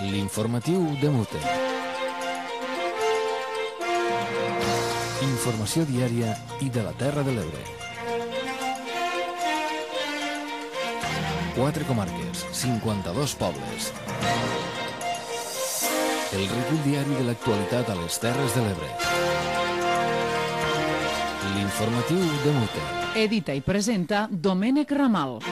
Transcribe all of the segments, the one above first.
L'informatiu de Mute. Informació diària i de la Terra de l'Ebre. 4 comarques, 52 pobles. El recull diari de l'actualitat a les Terres de l'Ebre. L'informatiu de Mute. Edita i presenta Domènec Ramal.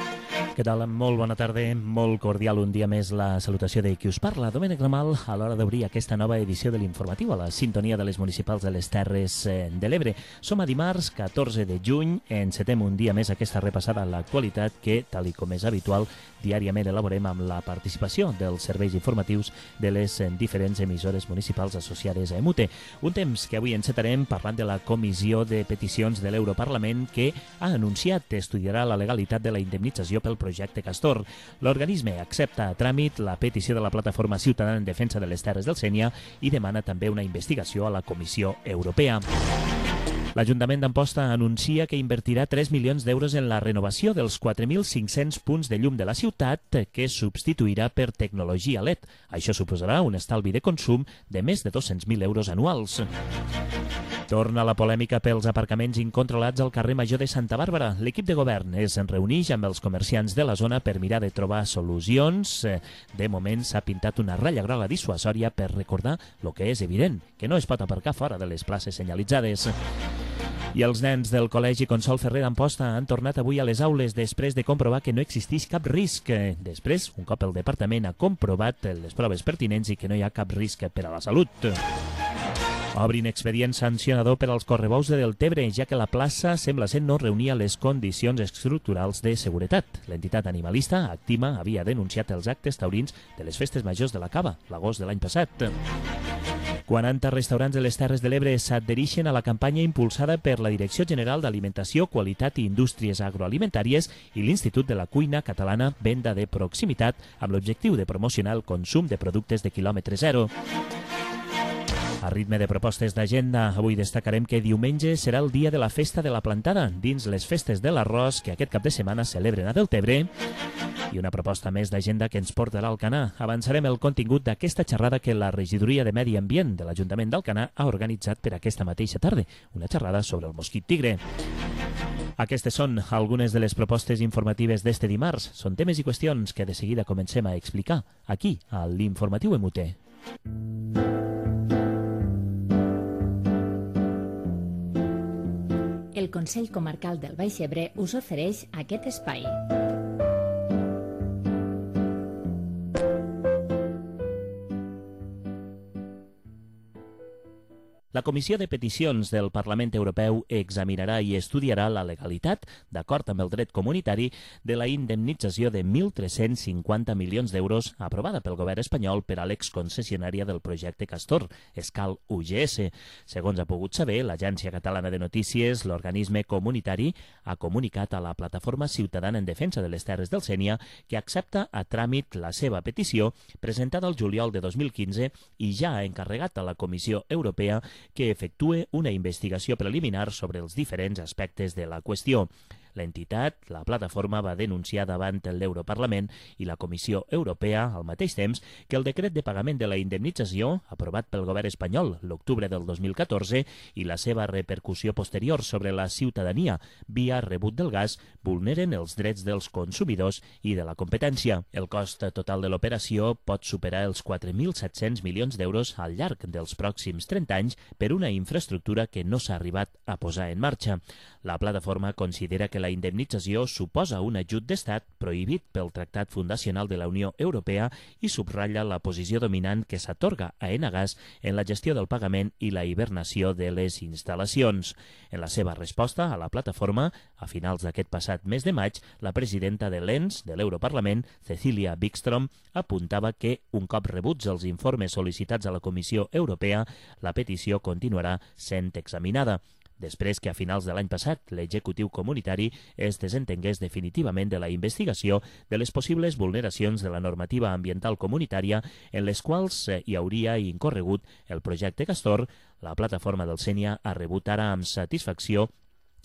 Què tal? Molt bona tarda, molt cordial un dia més la salutació de qui us parla, Domènec Ramal, a l'hora d'obrir aquesta nova edició de l'informatiu a la sintonia de les municipals de les Terres de l'Ebre. Som a dimarts 14 de juny, encetem un dia més aquesta repassada a l'actualitat que, tal i com és habitual, diàriament elaborem amb la participació dels serveis informatius de les diferents emissores municipals associades a EMUTE. Un temps que avui encetarem parlant de la Comissió de Peticions de l'Europarlament que ha anunciat que estudiarà la legalitat de la indemnització pel projecte Castor. L'organisme accepta a tràmit la petició de la Plataforma Ciutadana en Defensa de les Terres del Sénia i demana també una investigació a la Comissió Europea. L'Ajuntament d'Amposta anuncia que invertirà 3 milions d'euros en la renovació dels 4.500 punts de llum de la ciutat que substituirà per tecnologia LED. Això suposarà un estalvi de consum de més de 200.000 euros anuals. Torna la polèmica pels aparcaments incontrolats al carrer Major de Santa Bàrbara. L'equip de govern es reuneix amb els comerciants de la zona per mirar de trobar solucions. De moment s'ha pintat una ratlla groga dissuasòria per recordar el que és evident, que no es pot aparcar fora de les places senyalitzades. I els nens del Col·legi Consol Ferrer d'Amposta han tornat avui a les aules després de comprovar que no existeix cap risc. Després, un cop el departament ha comprovat les proves pertinents i que no hi ha cap risc per a la salut. Obrin expedient sancionador per als correbous de Deltebre, ja que la plaça sembla ser no reunia les condicions estructurals de seguretat. L'entitat animalista, Actima, havia denunciat els actes taurins de les festes majors de la Cava, l'agost de l'any passat. 40 restaurants de les Terres de l'Ebre s'adhereixen a la campanya impulsada per la Direcció General d'Alimentació, Qualitat i Indústries Agroalimentàries i l'Institut de la Cuina Catalana Venda de Proximitat amb l'objectiu de promocionar el consum de productes de quilòmetre zero. A ritme de propostes d'agenda, avui destacarem que diumenge serà el dia de la Festa de la Plantada dins les festes de l'arròs que aquest cap de setmana celebren a Deltebre. I una proposta més d'agenda que ens portarà a Alcanar. Avançarem el contingut d'aquesta xerrada que la Regidoria de Medi Ambient de l'Ajuntament d'Alcanar ha organitzat per aquesta mateixa tarda, una xerrada sobre el mosquit tigre. Aquestes són algunes de les propostes informatives d'este dimarts. Són temes i qüestions que de seguida comencem a explicar aquí, a l'Informatiu EMUTE. El Consell Comarcal del Baix Ebre us ofereix aquest espai. La Comissió de Peticions del Parlament Europeu examinarà i estudiarà la legalitat, d'acord amb el dret comunitari, de la indemnització de 1.350 milions d'euros aprovada pel govern espanyol per a l'exconcessionària del projecte Castor, Escal UGS. Segons ha pogut saber l'Agència Catalana de Notícies, l'organisme comunitari ha comunicat a la Plataforma Ciutadana en Defensa de les Terres del Sénia que accepta a tràmit la seva petició presentada el juliol de 2015 i ja ha encarregat a la Comissió Europea que efectue una investigació preliminar sobre els diferents aspectes de la qüestió. L'entitat, la plataforma, va denunciar davant l'Europarlament i la Comissió Europea al mateix temps que el decret de pagament de la indemnització, aprovat pel govern espanyol l'octubre del 2014, i la seva repercussió posterior sobre la ciutadania via rebut del gas vulneren els drets dels consumidors i de la competència. El cost total de l'operació pot superar els 4.700 milions d'euros al llarg dels pròxims 30 anys per una infraestructura que no s'ha arribat a posar en marxa. La plataforma considera que la indemnització suposa un ajut d'estat prohibit pel Tractat Fundacional de la Unió Europea i subratlla la posició dominant que s'atorga a Enagas en la gestió del pagament i la hibernació de les instal·lacions. En la seva resposta a la plataforma, a finals d'aquest passat mes de maig, la presidenta de l'ENS de l'Europarlament, Cecilia Wikström, apuntava que, un cop rebuts els informes sol·licitats a la Comissió Europea, la petició continuarà sent examinada. Després que a finals de l'any passat l'executiu comunitari es desentengués definitivament de la investigació de les possibles vulneracions de la normativa ambiental comunitària en les quals hi hauria incorregut el projecte Castor, la plataforma del Sénia ha rebut ara amb satisfacció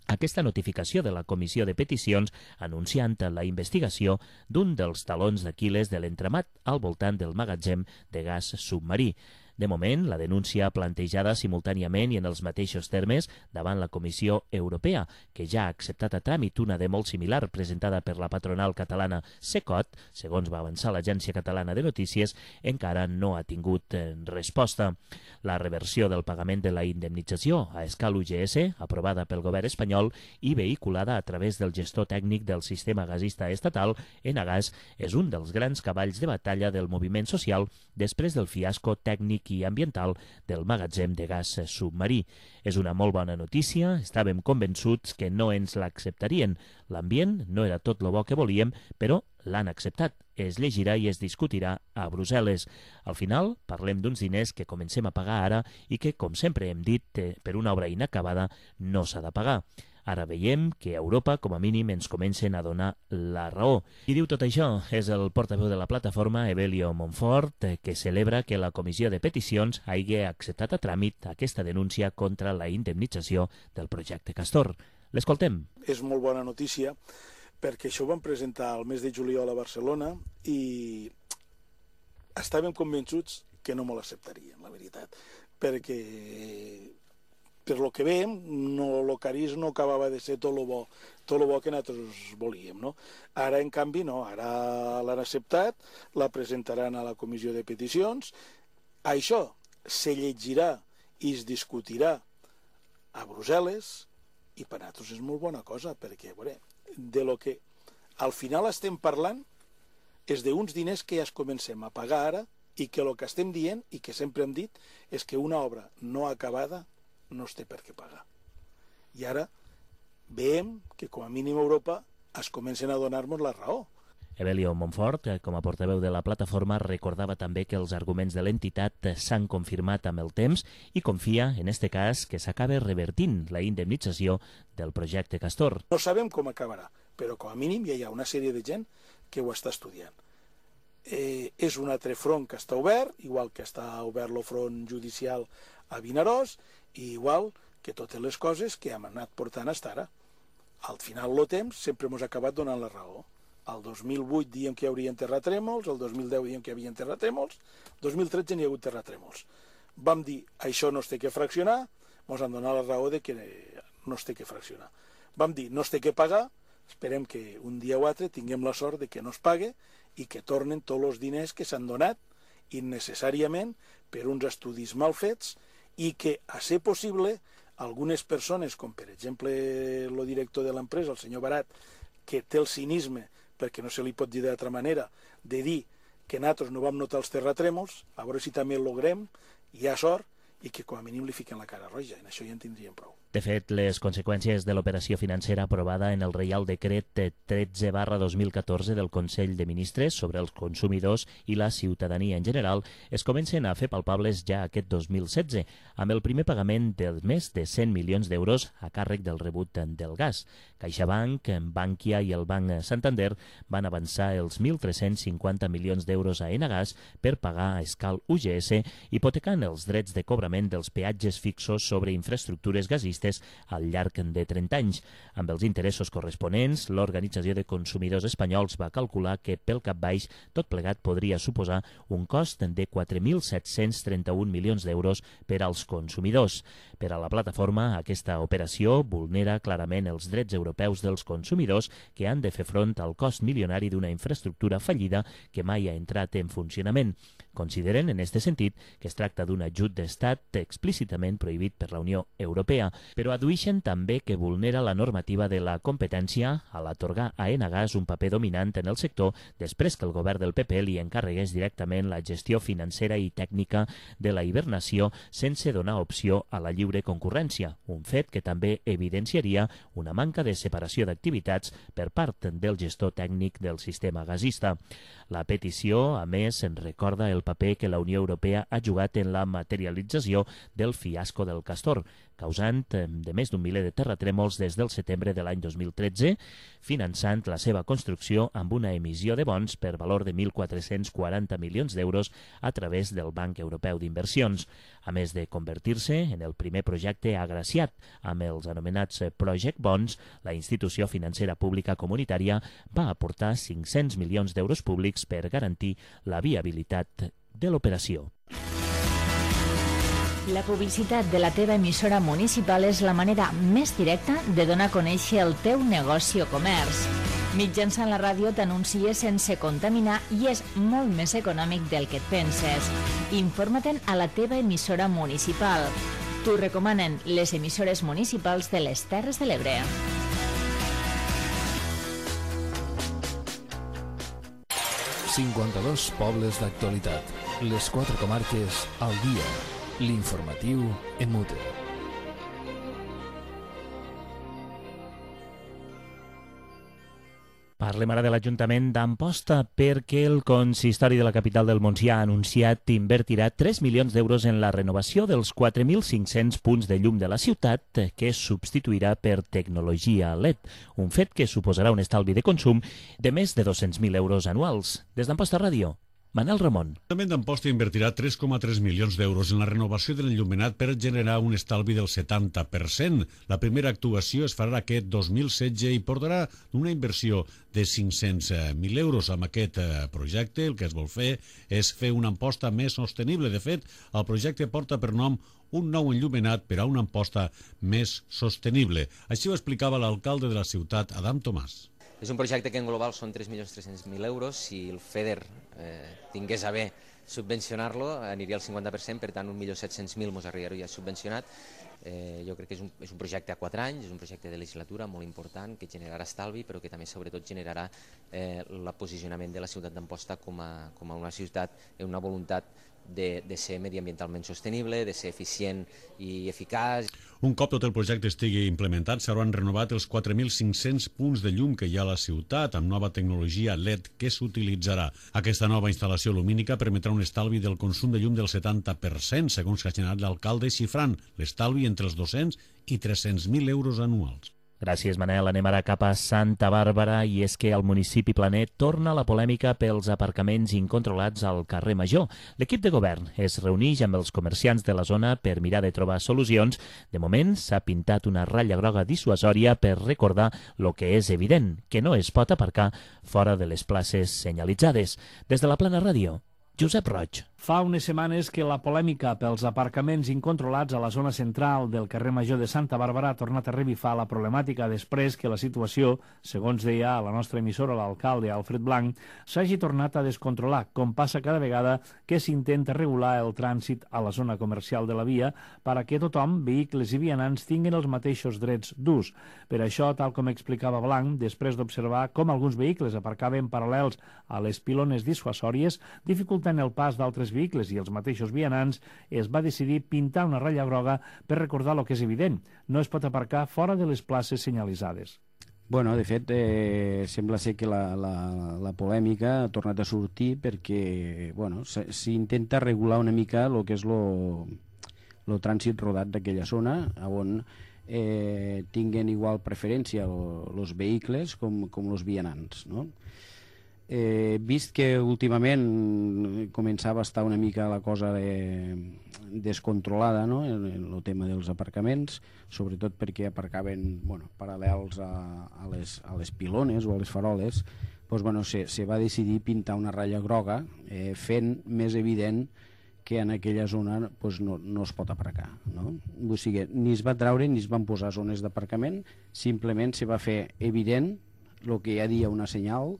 aquesta notificació de la Comissió de Peticions anunciant la investigació d'un dels talons d'Aquil·les de l'entramat al voltant del magatzem de gas submarí. De moment, la denúncia plantejada simultàniament i en els mateixos termes davant la Comissió Europea, que ja ha acceptat a tràmit una de molt similar presentada per la patronal catalana Secot, segons va avançar l'Agència Catalana de Notícies, encara no ha tingut resposta. La reversió del pagament de la indemnització a escala UGS, aprovada pel govern espanyol i vehiculada a través del gestor tècnic del sistema gasista estatal, Enagás, és un dels grans cavalls de batalla del moviment social després del fiasco tècnic i ambiental del magatzem de gas submarí. És una molt bona notícia, estàvem convençuts que no ens l'acceptarien. L'ambient no era tot lo bo que volíem, però l'han acceptat. Es llegirà i es discutirà a Brussel·les. Al final, parlem d'uns diners que comencem a pagar ara i que, com sempre hem dit, per una obra inacabada no s'ha de pagar. Ara veiem que a Europa, com a mínim, ens comencen a donar la raó. Qui diu tot això és el portaveu de la plataforma, Evelio Montfort, que celebra que la Comissió de Peticions hagi acceptat a tràmit aquesta denúncia contra la indemnització del projecte Castor. L'escoltem. És molt bona notícia perquè això ho vam presentar el mes de juliol a Barcelona i estàvem convençuts que no me l'acceptarien, la veritat, perquè per lo que veiem, el cariz no acabava de ser tot lo bo que nosaltres volíem, no? Ara, en canvi, no. Ara l'han acceptat, la presentaran a la Comissió de Peticions. Això se llegirà i es discutirà a Brussel·les i per nosaltres és molt bona cosa, perquè, veure, de lo que al final estem parlant és d'uns diners que ja es comencem a pagar ara i que el que estem dient i que sempre hem dit és que una obra no acabada no es té per què pagar. I ara veiem que com a mínim a Europa es comencen a donar-nos la raó. Evelio Montfort, com a portaveu de la plataforma, recordava també que els arguments de l'entitat s'han confirmat amb el temps i confia, en este cas, que s'acaba revertint la indemnització del projecte Castor. No sabem com acabarà, però com a mínim ja hi ha una sèrie de gent que ho està estudiant. És un altre front que està obert, igual que està obert el front judicial a Vinaròs, i igual que totes les coses que hem anat portant fins ara. Al final del temps sempre ens ha acabat donant la raó. El 2008 diem que hi hauria terratrèmols, el 2010 diem que hi havia terratrèmols, el 2013 n'hi ha hagut terratrèmols. Vam dir, això no es té que fraccionar, ens han donat la raó de que no es té que fraccionar. Vam dir, no es té que pagar, esperem que un dia o altre tinguem la sort de que no es pague i que tornen tots els diners que s'han donat innecessàriament per uns estudis mal fets i que, a ser possible, algunes persones, com per exemple el director de l'empresa, el senyor Barat, que té el cinisme, perquè no se li pot dir d'altra manera, de dir que nosaltres no vam notar els terratrèmols, a veure si també el logrem, hi ha sort, i que com a mínim li fiquen la cara roja, i en això ja en tindríem prou. De fet, les conseqüències de l'operació financera aprovada en el Reial Decret 13/2014 del Consell de Ministres sobre els consumidors i la ciutadania en general es comencen a fer palpables ja aquest 2016, amb el primer pagament de més de 100 milions d'euros a càrrec del rebut del gas. CaixaBank, Bankia i el Banc Santander van avançar els 1.350 milions d'euros a Enagás per pagar a escala UGS, hipotecant els drets de cobrament dels peatges fixos sobre infraestructures gasistes al llarg de 30 anys. Amb els interessos corresponents, l'Organització de Consumidors Espanyols va calcular que pel cap baix tot plegat podria suposar un cost de 4.731 milions d'euros per als consumidors. Per a la plataforma, aquesta operació vulnera clarament els drets europeus dels consumidors que han de fer front al cost milionari d'una infraestructura fallida que mai ha entrat en funcionament. Consideren, en aquest sentit, que es tracta d'un ajut d'estat explícitament prohibit per la Unió Europea, però addueixen també que vulnera la normativa de la competència a l'atorgar a Enagás un paper dominant en el sector després que el govern del PP li encarregués directament la gestió financera i tècnica de la hibernació sense donar opció a la lliure concurrència, un fet que també evidenciaria una manca de separació d'activitats per part del gestor tècnic del sistema gasista. La petició, a més, en recorda el paper que la Unió Europea ha jugat en la materialització del fiasco del Castor. causant de més d'un miler de terratrèmols des del setembre de l'any 2013, finançant la seva construcció amb una emissió de bons per valor de 1.440 milions d'euros a través del Banc Europeu d'Inversions, a més de convertir-se en el primer projecte agraciat amb els anomenats Project Bonds. La institució financera pública comunitària va aportar 500 milions d'euros públics per garantir la viabilitat de l'operació. La publicitat de la teva emissora municipal és la manera més directa de donar a conèixer el teu negoci o comerç. Mitjançant la ràdio t'anuncies sense contaminar i és molt més econòmic del que et penses. Informa-te'n a la teva emissora municipal. T'ho recomanen les emissores municipals de les Terres de l'Ebre. ...52 pobles d'actualitat. Les 4 comarques al dia. L'informatiu en mute. Parlem ara de l'Ajuntament d'Amposta perquè el consistori de la capital del Montsià ha anunciat que invertirà 3 milions d'euros en la renovació dels 4.500 punts de llum de la ciutat que es substituirà per tecnologia LED, un fet que suposarà un estalvi de consum de més de 200.000 euros anuals. Des d'Amposta Ràdio, Manel Ramon. L'Ajuntament d'Amposta invertirà 3,3 milions d'euros en la renovació de l'enllumenat per generar un estalvi del 70%. La primera actuació es farà aquest 2016 i portarà una inversió de 500.000 euros. Amb aquest projecte el que es vol fer és fer una Amposta més sostenible. De fet, el projecte porta per nom un nou enllumenat per a una Amposta més sostenible. Així ho explicava l'alcalde de la ciutat, Adam Tomàs. És un projecte que en global són 3.300.000 euros. Si el FEDER tingués a bé subvencionar-lo, aniria al 50%, per tant 1.700.000 ens arribaria subvencionat. Jo crec que és un projecte a 4 anys, és un projecte de legislatura molt important que generarà estalvi, però que també sobretot generarà el posicionament de la ciutat d'Amposta com a una ciutat amb una voluntat de ser mediambientalment sostenible, de ser eficient i eficaç. Un cop tot el projecte estigui implementat, s'hauran renovat els 4.500 punts de llum que hi ha a la ciutat amb nova tecnologia LED que s'utilitzarà. Aquesta nova instal·lació lumínica permetrà un estalvi del consum de llum del 70%, segons que ha generat l'alcalde, xifrant l'estalvi entre els 200 i 300.000 euros anuals. Gràcies, Manel. Anem ara cap a Santa Bàrbara i és que al municipi Planet torna la polèmica pels aparcaments incontrolats al carrer Major. L'equip de govern es reuneix amb els comerciants de la zona per mirar de trobar solucions. De moment s'ha pintat una ratlla groga dissuasòria per recordar lo que és evident, que no es pot aparcar fora de les places senyalitzades. Des de la Plana Ràdio, Josep Roig. Fa unes setmanes que la polèmica pels aparcaments incontrolats a la zona central del carrer Major de Santa Bàrbara ha tornat a revifar la problemàtica després que la situació, segons deia a la nostra emissora l'alcalde Alfred Blanc, s'hagi tornat a descontrolar, com passa cada vegada que s'intenta regular el trànsit a la zona comercial de la via perquè tothom, vehicles i vianants, tinguin els mateixos drets d'ús. Per això, tal com explicava Blanc, després d'observar com alguns vehicles aparcaven paral·lels a les pilones dissuasòries, dificultant el pas d'altres vehicles i els mateixos vianants, es va decidir pintar una ratlla groga per recordar el que és evident. No es pot aparcar fora de les places senyalitzades. Bueno, de fet, sembla ser que la polèmica ha tornat a sortir perquè s'intenta regular una mica el que és el trànsit rodat d'aquella zona, on tinguen igual preferència els vehicles com els vianants, no? Vist que últimament començava a estar una mica la cosa descontrolada, no? El tema dels aparcaments, sobretot perquè aparcaven paral·lels a les pilones o a les faroles, se va decidir pintar una ratlla groga fent més evident que en aquella zona no es pot aparcar, no? O sigui, ni es va treure ni es van posar zones d'aparcament, simplement se va fer evident el que ja dia una senyal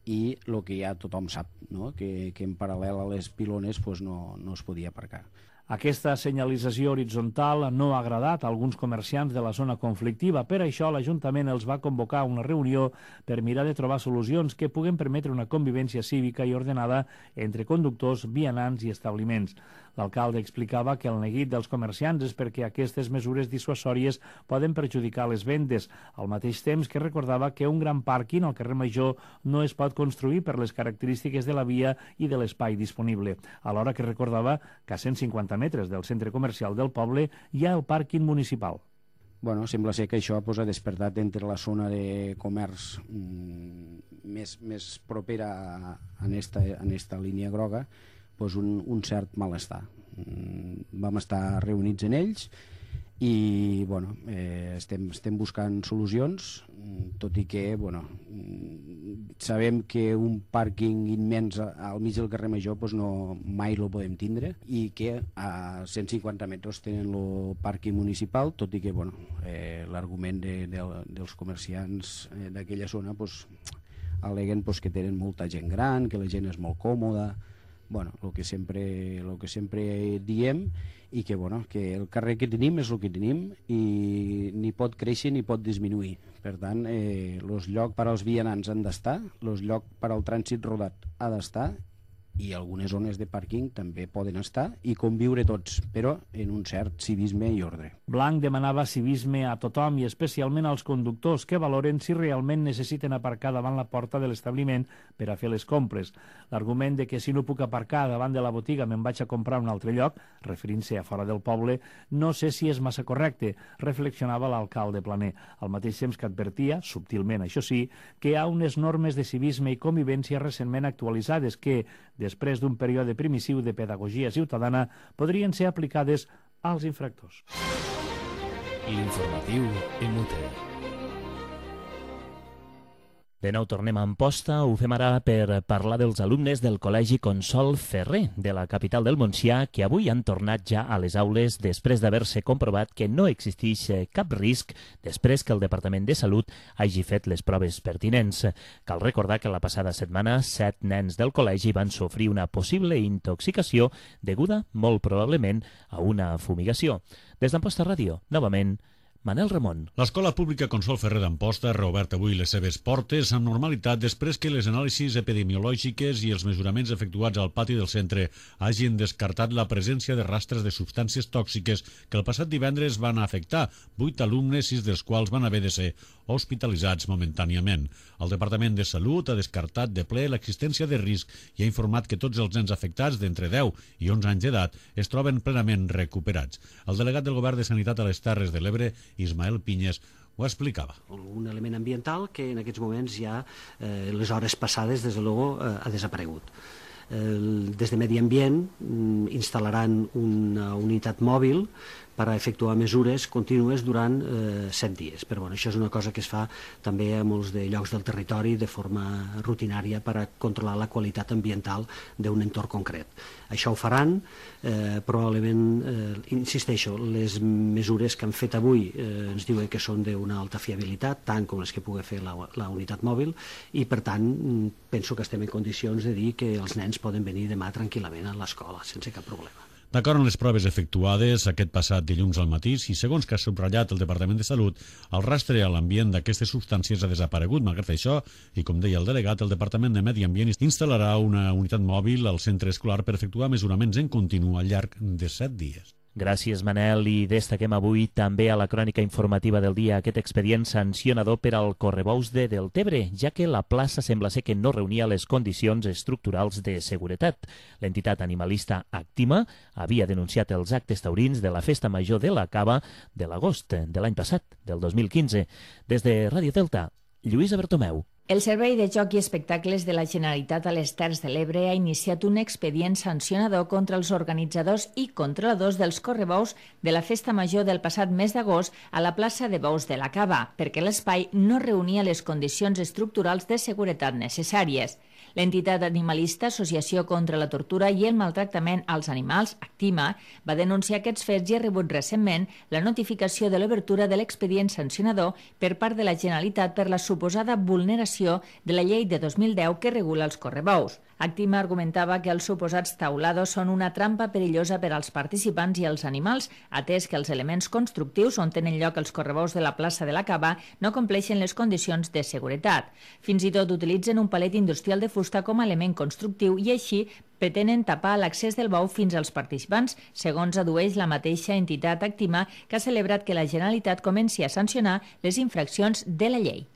i el que ja tothom sap, no? Que en paral·lel a les pilones no es podia aparcar. Aquesta senyalització horitzontal no ha agradat a alguns comerciants de la zona conflictiva. Per això l'Ajuntament els va convocar a una reunió per mirar de trobar solucions que puguen permetre una convivència cívica i ordenada entre conductors, vianants i establiments. L'alcalde explicava que el neguit dels comerciants és perquè aquestes mesures dissuasòries poden perjudicar les vendes, al mateix temps que recordava que un gran pàrquing al carrer Major no es pot construir per les característiques de la via i de l'espai disponible, alhora que recordava que a 150 metres del centre comercial del poble hi ha el pàrquing municipal. Bueno, sembla ser que això ha despertat entre la zona de comerç més propera en esta línia groga un cert malestar. Vam estar reunits en ells i estem buscant solucions, tot i que sabem que un pàrquing immens al mig del carrer Major mai el podem tindre, i que a 150 metres tenen el pàrquing municipal, tot i que l'argument dels comerciants d'aquella zona al·leguen que tenen molta gent gran, que la gent és molt còmoda, el que sempre diem, i que el carrer que tenim és el que tenim i ni pot créixer ni pot disminuir. Per tant, els llocs per als vianants han d'estar, els llocs per al trànsit rodat ha d'estar, i algunes zones de pàrquing també poden estar i conviure tots, però en un cert civisme i ordre. Blanc demanava civisme a tothom i especialment als conductors que valoren si realment necessiten aparcar davant la porta de l'establiment per a fer les compres. L'argument de que si no puc aparcar davant de la botiga me'n vaig a comprar a un altre lloc, referint-se a fora del poble, no sé si és massa correcte, reflexionava l'alcalde Planer, al mateix temps que advertia, subtilment això sí, que hi ha unes normes de civisme i convivència recentment actualitzades que, després d'un període primitiu de pedagogia ciutadana, podrien ser aplicades als infractors. L'informatiu MUT. De nou tornem a Amposta, ho fem ara per parlar dels alumnes del Col·legi Consol Ferrer de la capital del Montsià, que avui han tornat ja a les aules després d'haver-se comprovat que no existeix cap risc després que el Departament de Salut hagi fet les proves pertinents. Cal recordar que la passada setmana 7 nens del col·legi van sofrir una possible intoxicació deguda, molt probablement, a una fumigació. Des d'Amposta Ràdio, novament, Manel Ramon. L'Escola Pública Consol Ferrer d'Amposta ha reobert avui les seves portes amb normalitat després que les anàlisis epidemiològiques i els mesuraments efectuats al pati del centre hagin descartat la presència de rastres de substàncies tòxiques que el passat divendres van afectar 8 alumnes, 6 dels quals van haver de ser hospitalitzats momentàniament. El Departament de Salut ha descartat de ple l'existència de risc i ha informat que tots els nens afectats d'entre 10 i 11 anys d'edat es troben plenament recuperats. El delegat del Govern de Sanitat a les Terres de l'Ebre, Ismael Pinyes, ho explicava. Un element ambiental que en aquests moments ja les hores passades, des de luego, ha desaparegut. Des de Medi Ambient instal·laran una unitat mòbil per a efectuar mesures contínues durant 7 dies. Però això és una cosa que es fa també a molts de llocs del territori de forma rutinària per a controlar la qualitat ambiental d'un entorn concret. Això ho faran, probablement, insisteixo, les mesures que han fet avui ens diuen que són d'una alta fiabilitat, tant com les que pugui fer la unitat mòbil, i per tant penso que estem en condicions de dir que els nens poden venir demà tranquil·lament a l'escola, sense cap problema. D'acord amb les proves efectuades aquest passat dilluns al matí, i segons que ha subratllat el Departament de Salut, el rastre a l'ambient d'aquestes substàncies ha desaparegut. Malgrat això, i com deia el delegat, el Departament de Medi Ambient instal·larà una unitat mòbil al centre escolar per efectuar mesuraments en continu al llarg de 7 dies. Gràcies, Manel, i destaquem avui també a la crònica informativa del dia aquest expedient sancionador per al correbous de Deltebre, ja que la plaça sembla ser que no reunia les condicions estructurals de seguretat. L'entitat animalista Actima havia denunciat els actes taurins de la Festa Major de la Cava de l'agost de l'any passat, del 2015. Des de Ràdio Delta, Lluïsa Bertomeu. El Servei de Joc i Espectacles de la Generalitat a les Terres de l'Ebre ha iniciat un expedient sancionador contra els organitzadors i controladors dels correbous de la Festa Major del passat mes d'agost a la plaça de Bous de la Cava, perquè l'espai no reunia les condicions estructurals de seguretat necessàries. L'entitat animalista Associació contra la Tortura i el Maltractament als Animals, Actima, va denunciar aquests fets i ha rebut recentment la notificació de l'obertura de l'expedient sancionador per part de la Generalitat per la suposada vulneració de la llei de 2010 que regula els correbous. Actima argumentava que els suposats taulados són una trampa perillosa per als participants i els animals, atès que els elements constructius on tenen lloc els correbous de la plaça de la Cava no compleixen les condicions de seguretat. Fins i tot utilitzen un palet industrial de fusta com a element constructiu i així pretenen tapar l'accés del bou fins als participants, segons adueix la mateixa entitat Actima, que ha celebrat que la Generalitat comenci a sancionar les infraccions de la llei.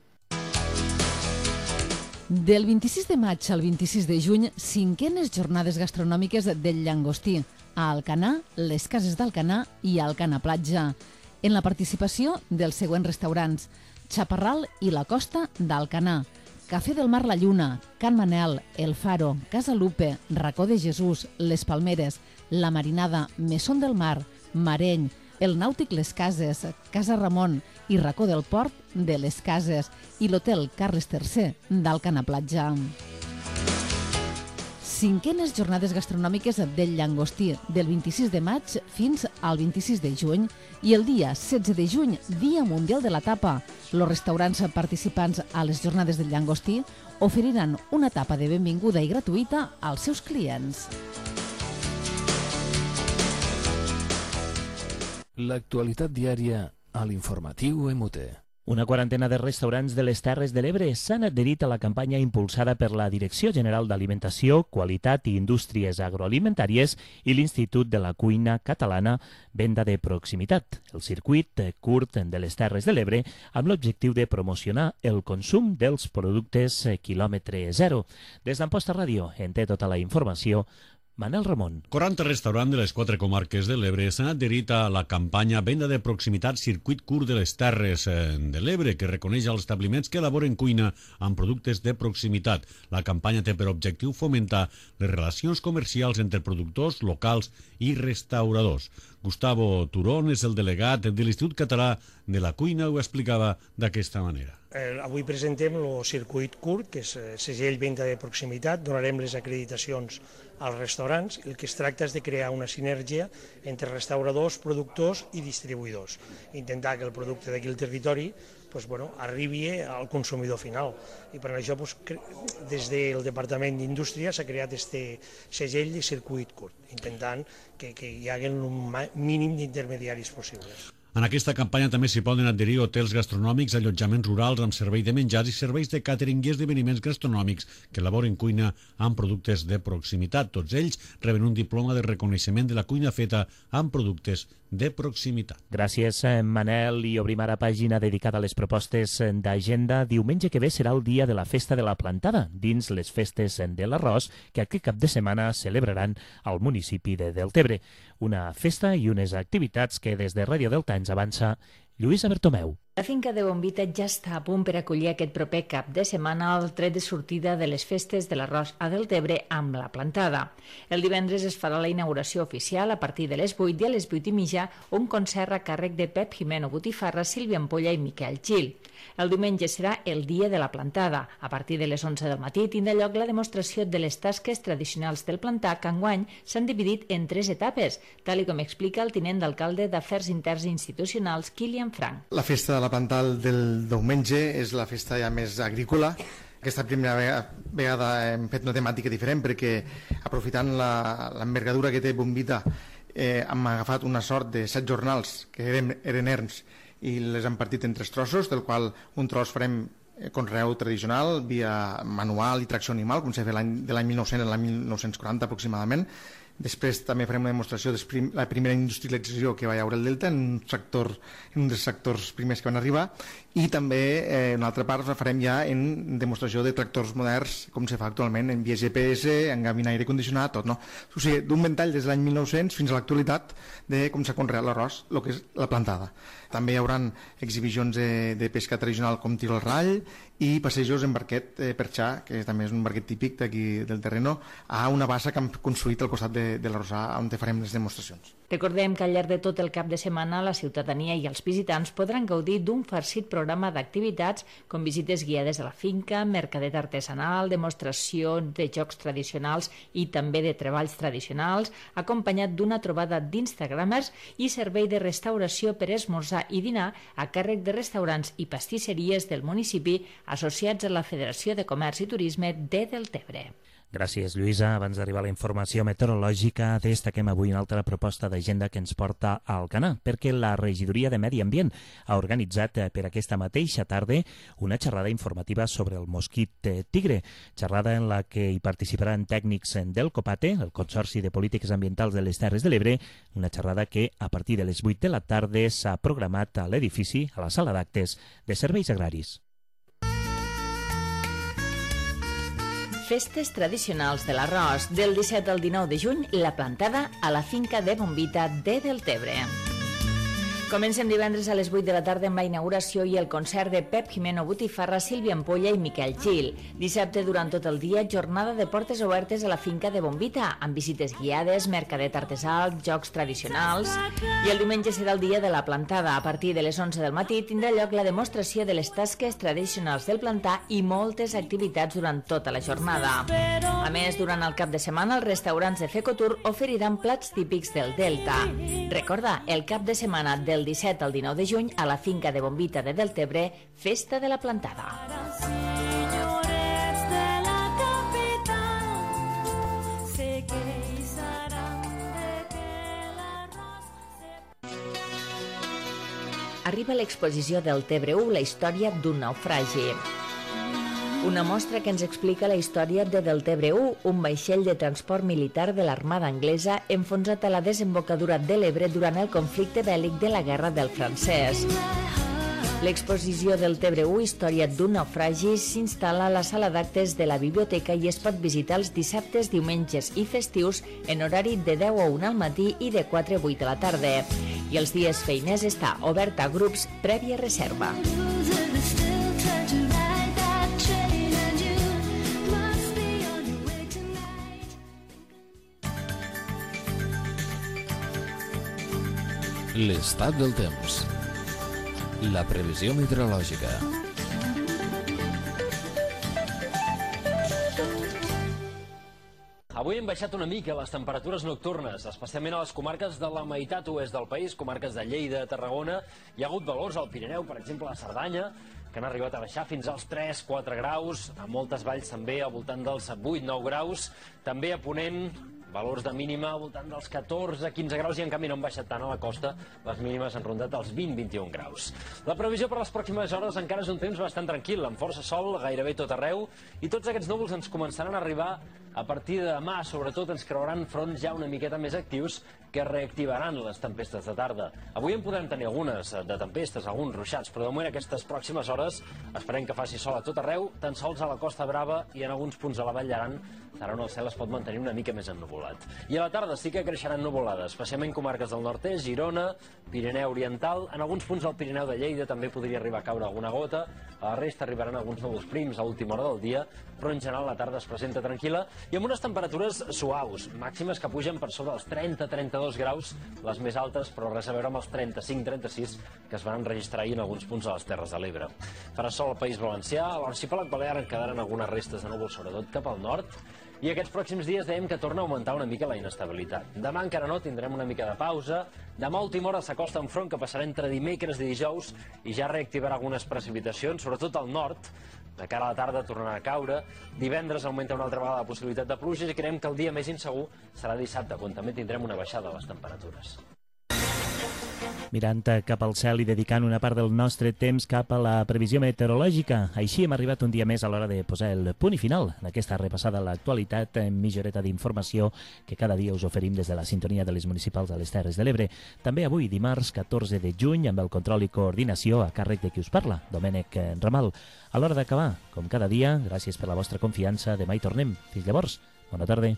Del 26 de maig al 26 de juny, 5enes jornades gastronòmiques del llangostí a Alcanar, les cases d'Alcanar i Alcanar Platja. En la participació dels següents restaurants: Chaparral i la Costa d'Alcanar, Cafè del Mar La Lluna, Can Manel, El Faro, Casa Lupe, Racó de Jesús, Les Palmeres, La Marinada, Mesón del Mar, Mareny, el Nàutic Les Cases, Casa Ramon i Racó del Port de Les Cases i l'Hotel Carles III d'Alcanar Platja. 5enes jornades gastronòmiques del llangostí del 26 de maig fins al 26 de juny i el dia 16 de juny, Dia Mundial de la Tapa. Els restaurants participants a les jornades del llangostí oferiran una tapa de benvinguda i gratuïta als seus clients. L'actualitat diària a l'informatiu MUT. Una quarantena de restaurants de les Terres de l'Ebre s'han adherit a la campanya impulsada per la Direcció General d'Alimentació, Qualitat i Indústries Agroalimentàries i l'Institut de la Cuina Catalana Venda de Proximitat, el circuit curt de les Terres de l'Ebre, amb l'objectiu de promocionar el consum dels productes quilòmetre zero. Des d'Amposta Ràdio en té tota la informació Manel Ramon. 40 restaurants de les 4 comarques de l'Ebre s'han adherit a la campanya Venda de Proximitat Circuit Curt de les Terres de l'Ebre, que reconeix els establiments que elaboren cuina amb productes de proximitat. La campanya té per objectiu fomentar les relacions comercials entre productors locals i restauradors. Gustavo Turón és el delegat de l'Institut Català de la Cuina, ho explicava d'aquesta manera. Avui presentem el circuit curt, que és segell venda de proximitat. Donarem les acreditacions als restaurants. El que es tracta és de crear una sinergia entre restauradors, productors i distribuïdors. Intentar que el producte d'aquí al territori arribi al consumidor final. I per això des del Departament d'Indústria s'ha creat aquest segell de circuit curt, intentant que hi hagi un mínim d'intermediaris possibles. En aquesta campanya també s'hi poden adherir hotels gastronòmics, allotjaments rurals amb servei de menjars i serveis de càtering i esdeveniments gastronòmics que elaboren cuina amb productes de proximitat. Tots ells reben un diploma de reconeixement de la cuina feta amb productes de proximitat. Gràcies, Manel. I obrim ara pàgina dedicada a les propostes d'agenda. Diumenge que ve serà el dia de la Festa de la Plantada, dins les festes de l'arròs que aquest cap de setmana celebraran al municipi de Deltebre. Una festa i unes activitats que des de Ràdio Delta ens avança Lluïsa Bertomeu. La finca de Bombita ja està a punt per acollir aquest proper cap de setmana el tret de sortida de les festes de l'arròs a Deltebre amb la plantada. El divendres es farà la inauguració oficial a partir de les 8 i a les 8:30 un concert a càrrec de Pep Jimeno Botifarra, Sílvia Ampolla i Miquel Gil. El diumenge serà el dia de la plantada. A partir de les 11 del matí tindrà lloc la demostració de les tasques tradicionals del plantar, que enguany s'han dividit en 3 etapes, tal com explica el tinent d'alcalde d'Afers Interns i Institucionals, Kilian Frank. La festa de la plantada del diumenge és la festa ja més agrícola. Aquesta primera vegada hem fet una temàtica diferent perquè, aprofitant l'envergadura que té Bombita, hem agafat una sort de 7 jornals que eren erms i les hem partit en 3 trossos, del qual un tros farem conreu tradicional via manual i tracció animal, com s'ha fet de l'any 1900 a l'any 1940 aproximadament. Després també farem una demostració de la primera industrialització que va hi haure al Delta en un dels sectors primers que van arribar, i també una altra part la farem ja en demostració de tractors moderns com se fa actualment, en via GPS, en gabina aire condicionat, tot, no? O sigui, d'un ventall des de l'any 1900 fins a l'actualitat de com s'ha conreat l'arròs, el que és la plantada. També hi haurà exhibicions de pesca tradicional com tir al rall i passejos en barquet perxà, que també és un barquet típic d'aquí del terreno, a una bassa que hem construït al costat de l'arrossar on farem les demostracions. Recordem que al llarg de tot el cap de setmana la ciutadania i els visitants podran gaudir d'un farcit programa d'activitats com visites guiades a la finca, mercadet artesanal, demostració de jocs tradicionals i també de treballs tradicionals, acompanyat d'una trobada d'instagramers i servei de restauració per esmorzar i dinar a càrrec de restaurants i pastisseries del municipi associats a la Federació de Comerç i Turisme de Deltebre. Gràcies, Lluïsa. Abans d'arribar a la informació meteorològica, destaquem avui una altra proposta d'agenda que ens porta a Alcanar, perquè la Regidoria de Medi Ambient ha organitzat per aquesta mateixa tarda una xerrada informativa sobre el mosquit tigre, xerrada en la que hi participaran tècnics del COPATE, el Consorci de Polítiques Ambientals de les Terres de l'Ebre, una xerrada que a partir de les 8 de la tarda s'ha programat a l'edifici, a la sala d'actes de Serveis Agraris. Festes tradicionals de l'arròs. Del 17 al 19 de juny, la plantada a la finca de Bombita de Deltebre. Comencem divendres a les 8 de la tarda amb la inauguració i el concert de Pep Jimeno Botifarra, Sílvia Ampolla i Miquel Gil. Dissabte, durant tot el dia, jornada de portes obertes a la finca de Bombita, amb visites guiades, mercadet artesà, jocs tradicionals. I el diumenge serà el dia de la plantada. A partir de les 11 del matí tindrà lloc la demostració de les tasques tradicionals del plantar i moltes activitats durant tota la jornada. A més, durant el cap de setmana, els restaurants de Fecotur oferiran plats típics del Delta. Recorda, el cap de setmana del 17 al 19 de juny a la finca de Bombita de Deltebre, Festa de la Plantada. Arriba l'exposició Deltebre 1, la història d'un naufragi. Una mostra que ens explica la història de Deltebre 1, un vaixell de transport militar de l'Armada anglesa enfonsat a la desembocadura de l'Ebre durant el conflicte bèl·lic de la Guerra del Francès. L'exposició Deltebre 1, història d'un naufragi, s'instal·la a la sala d'actes de la biblioteca i es pot visitar els dissabtes, diumenges i festius en horari de 10 a 1 al matí i de 4 a 8 de la tarda. I els dies feiners està obert a grups prèvia reserva. L'estat del temps. La previsió meteorològica. Avui hem baixat una mica les temperatures nocturnes, especialment a les comarques de la meitat oest del país, comarques de Lleida, Tarragona. Hi ha hagut valors al Pirineu, per exemple a Cerdanya, que han arribat a baixar fins als 3-4 graus, a moltes valls també al voltant dels 8-9 graus, també a Ponent, valors de mínima al voltant dels 14-15 graus i en canvi no han baixat tant a la costa, les mínimes han rondat els 20-21 graus. La previsió per les pròximes hores encara és un temps bastant tranquil, amb força sol gairebé tot arreu, i tots aquests núvols ens començaran a arribar a partir de demà. Sobretot ens creuaran fronts ja una miqueta més actius que reactivaran les tempestes de tarda. Avui en podrem tenir algunes de tempestes, alguns ruixats, però de moment aquestes pròximes hores esperem que faci sol a tot arreu, tan sols a la Costa Brava i en alguns punts a la Vall d'Aran, on el cel es pot mantenir una mica més ennuvolat. I a la tarda sí que creixeran nuvolades, especialment comarques del nord-est, Girona, Pirineu Oriental, en alguns punts del Pirineu de Lleida també podria arribar a caure alguna gota, a la resta arribaran alguns núvols prims a última hora del dia, però en general la tarda es presenta tranquil·la i amb unes temperatures suaus, màximes que pugen per sobre els 30-32 graus, les més altes, però res a veure amb els 35-36 que es van enregistrar ahir en alguns punts de les Terres de l'Ebre. Farà sol al País Valencià, a l'arxipèlag balear en quedaran algunes restes de núvols, sobretot cap al nord, i aquests pròxims dies dèiem que torna a augmentar una mica la inestabilitat. Demà encara no, tindrem una mica de pausa. Demà a última hora s'acosta un front que passarà entre dimecres i dijous i ja reactivarà algunes precipitacions, sobretot al nord. De cara a la tarda tornarà a caure. Divendres augmenta una altra vegada la possibilitat de pluges i creiem que el dia més insegur serà dissabte, quan també tindrem una baixada de les temperatures. Mirant cap al cel i dedicant una part del nostre temps cap a la previsió meteorològica. Així hem arribat un dia més a l'hora de posar el punt i final en aquesta repassada a l'actualitat, mitja horeta d'informació que cada dia us oferim des de la sintonia de les municipals de les Terres de l'Ebre. També avui, dimarts 14 de juny, amb el control i coordinació a càrrec de qui us parla, Domènec Ramal. A l'hora d'acabar, com cada dia, gràcies per la vostra confiança. Demà hi tornem. Fins llavors, bona tarda.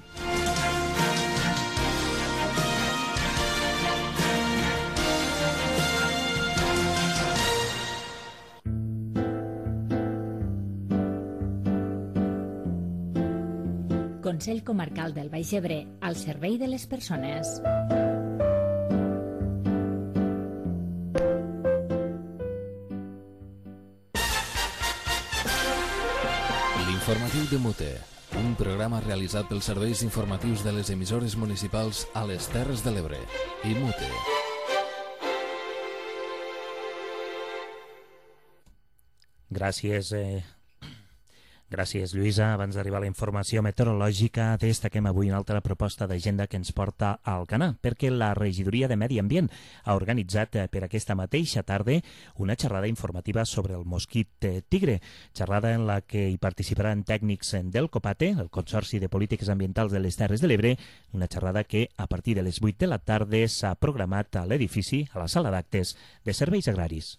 Consell Comarcal del Baix Ebre, al servei de les persones. L'informatiu de Mute, un programa realitzat pels serveis informatius de les emissores municipals a les Terres de l'Ebre i Mute. Gràcies, Lluïsa. Abans d'arribar a la informació meteorològica, destaquem avui una altra proposta d'agenda que ens porta a Alcanar, perquè la Regidoria de Medi Ambient ha organitzat per aquesta mateixa tarda una xerrada informativa sobre el mosquit tigre, xerrada en la que hi participaran tècnics del COPATE, el Consorci de Polítiques Ambientals de les Terres de l'Ebre, una xerrada que a partir de les 8 de la tarda s'ha programat a l'edifici, a la sala d'actes de Serveis Agraris.